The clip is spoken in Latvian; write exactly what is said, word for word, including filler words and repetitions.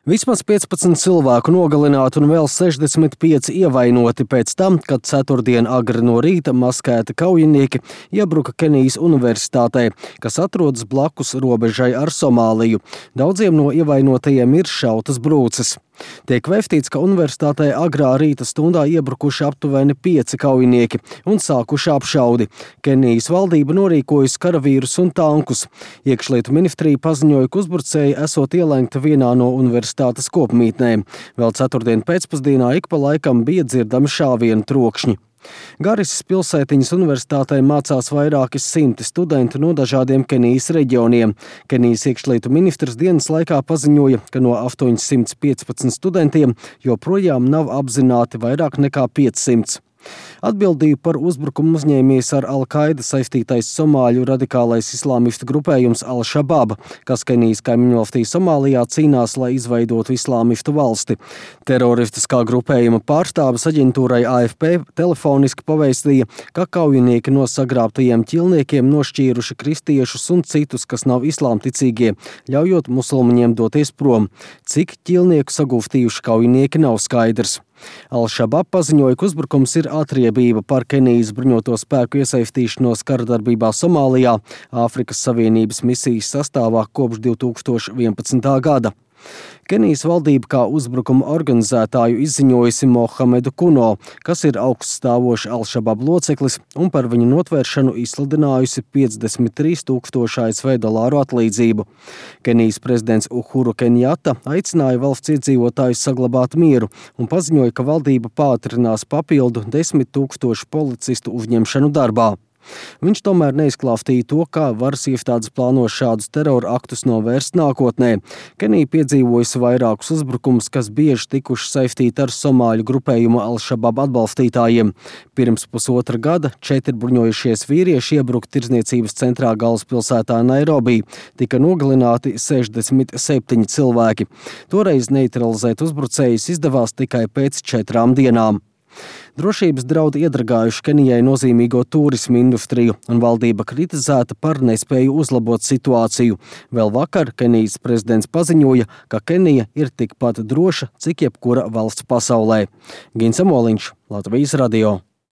Vismaz piecpadsmit cilvēku nogalināti un vēl sešdesmit pieci ievainoti pēc tam, kad ceturtdien agri no rīta maskēti kaujinieki iebruka Kenijas universitātē, kas atrodas blakus robežai ar Somāliju. Daudziem no ievainotajiem ir šautas brūces. Tiek vēstīts, ka universitātē agrā rīta stundā iebrukuši aptuveni pieci kaujinieki un sākuši apšaudi. Kenijas valdība norīkojusi karavīrus un tankus. Iekšlietu ministrija paziņoja, ka uzbrucēji esot ielenkti vienā no universitātes kopmītnēm. Vēl ceturtdien pēcpusdienā ik pa laikam bija dzirdami šāvienu trokšņi. Garisas pilsētiņas universitātē mācās vairāki simti studenti no dažādiem Kenijas reģioniem. Kenijas iekšlietu ministrs dienas laikā paziņoja, ka no astoņsimt piecpadsmit studentiem joprojām nav apzināti vairāk nekā piecsimt. Atbildību par uzbrukumu uzņēmies ar Al-Qaida saistītais somāļu radikālais islāmistu grupējums Al-Shabab, kas Kenijas kaimiņvalstī Somālijā cīnās, lai izveidotu islāmistu valsti. Teroristiskā grupējuma pārstāvis aģentūrai A F P telefoniski pavēstīja, ka kaujinieki no sagrābtajiem ķilniekiem nošķīruši kristiešus un citus, kas nav islāmticīgie, ļaujot musulmaņiem doties prom. Cik ķilnieku sagūstījuši kaujinieki nav skaidrs. Al-Shabab paziņoja, ka uzbrukums ir atriebība par Kenijas bruņoto spēku iesaistīšanos karadarbībā Somālijā, Āfrikas Savienības misijas sastāvā kopš divi tūkstoši vienpadsmitā gada. Kenijas valdība kā uzbrukuma organizētāju izziņojusi Mohamedu Kuno, kas ir augststāvošs Al-Shabab loceklis, un par viņu notvēršanu izsludinājusi piecdesmit trīs tūkstoši A S V dolāru atlīdzību. Kenijas prezidents Uhuru Kenjata aicināja valsts iedzīvotājus saglabāt mieru un paziņoja, ka valdība pātrinās papildu desmit tūkstošu policistu uzņemšanu darbā. Viņš tomēr neizklāstīja to, kā varas iestādes plāno šādus terora aktus novērst nākotnē. Kenija piedzīvojusi vairākus uzbrukumus, kas bieži tikuši saistīti ar somāļu grupējumu Al-Shabab atbalstītājiem. Pirms pusotra gada četri bruņojušies vīrieši iebruka tirdzniecības centrā galvaspilsētā Nairobi. Tika nogalināti sešdesmit septiņi cilvēki. Toreiz neutralizēt uzbrucējus izdevās tikai pēc četrām dienām. Drošības draudi iedragājuši Kenijai nozīmīgo turismu industriju, un valdība kritizēta par nespēju uzlabot situāciju. Vēl vakar Kenijas prezidents paziņoja, ka Kenija ir tikpat droša, cik jebkura valsts pasaulē. Gins Amoliņš, Latvijas radio.